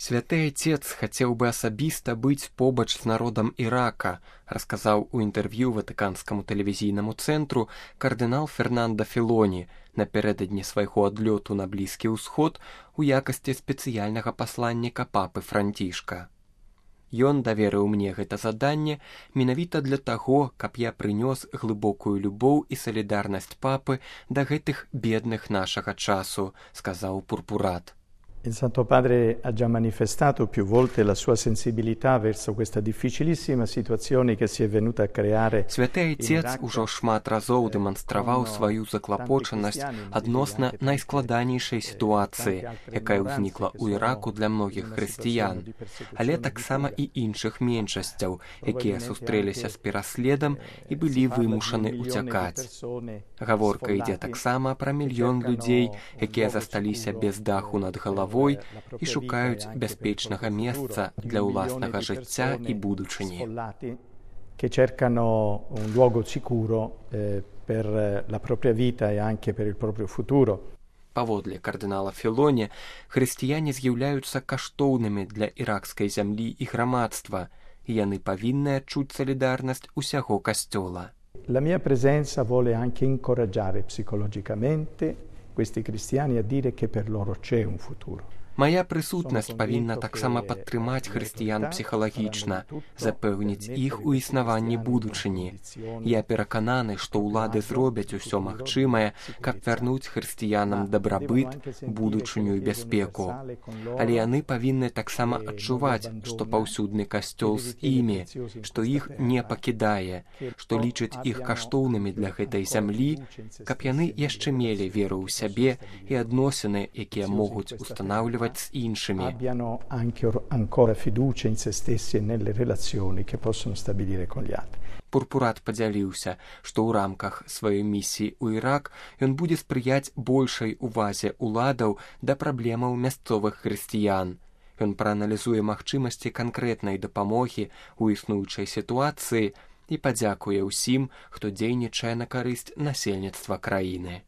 Святы Отец хацеў бы асабіста быць побач з народам Ірака, расказаў у інтэрв'ю ватыканскаму тэлевізійнаму цэнтру кардынал Фернандо Філоні напярэдадні свайго адлёту на Блізкі ўсход у якасці спецыяльнага пасланніка папы Францішка. Ён даверыў мне гэта заданне менавіта для таго, каб я прынёс глыбокую любоў і салідарнасць папы да гэтых бедных нашага часу, сказаў пурпурат. Il Santo Padre ha già manifestato più volte la sua sensibilità verso questa difficilissima situazione che si è venuta a creare. Святы Отец ужо шмат разоў дэманстраваў сваю заклапочанасць адносна найскладанейшай сітуацыі, якая ўзнікла ў Іраку для многіх хрысціян, але таксама і іншых меншасцяў, якія сустрэліся з пераследам і былі вымушаны ўцякаць. Гаворка ідзе таксама пра мільён людзей, якія засталіся без даху над галавой і шукаюць бяспечнага месца для ўласнага жыцця і будучыні. Che cercano un luogo sicuro per la propria vita e anche per il proprio futuro. Паводле кардынала Філоні, хрысціяне з'яўляюцца каштоўнымі для іракскай зямлі і грамадства, і яны павінны адчуць салідарнасць усяго касцёла. La mia presenza vuole anche incoraggiare psicologicamente questi cristiani a dire che per loro c'è un futuro. Мая прысутнасць павінна таксама падтрымаць хрысціян псіхалагічна, запэўніць іх у існаванні будучыні. Я перакананы, што ўлады зробяць усё магчымае, каб вярнуць хрысціянам дабрабыт, будучыню і бяспеку. Але яны павінны таксама адчуваць, што паўсюдны касцёл з імі, што іх не пакідае, што лічыць іх каштоўнымі для гэтай зямлі, каб яны яшчэ мелі веру ў сябе і адносіны, якія могуць устанаўліваць з іншымі. Abbiano anche ancora fiducia in se stessi e nelle relazioni che possono stabilire con gli altri. Пурпурат падзяліўся, што ў рамках сваёй місіі ў Ірак ён будзе спрыяць большай увазе ўладаў да праблемаў мясцовых хрысціян. Ён прааналізуе магчымасці канкрэтнай дапамогі ў існуючай сітуацыі і падзякуе ўсім, хто дзейнічае на карысць насельніцтва краіны.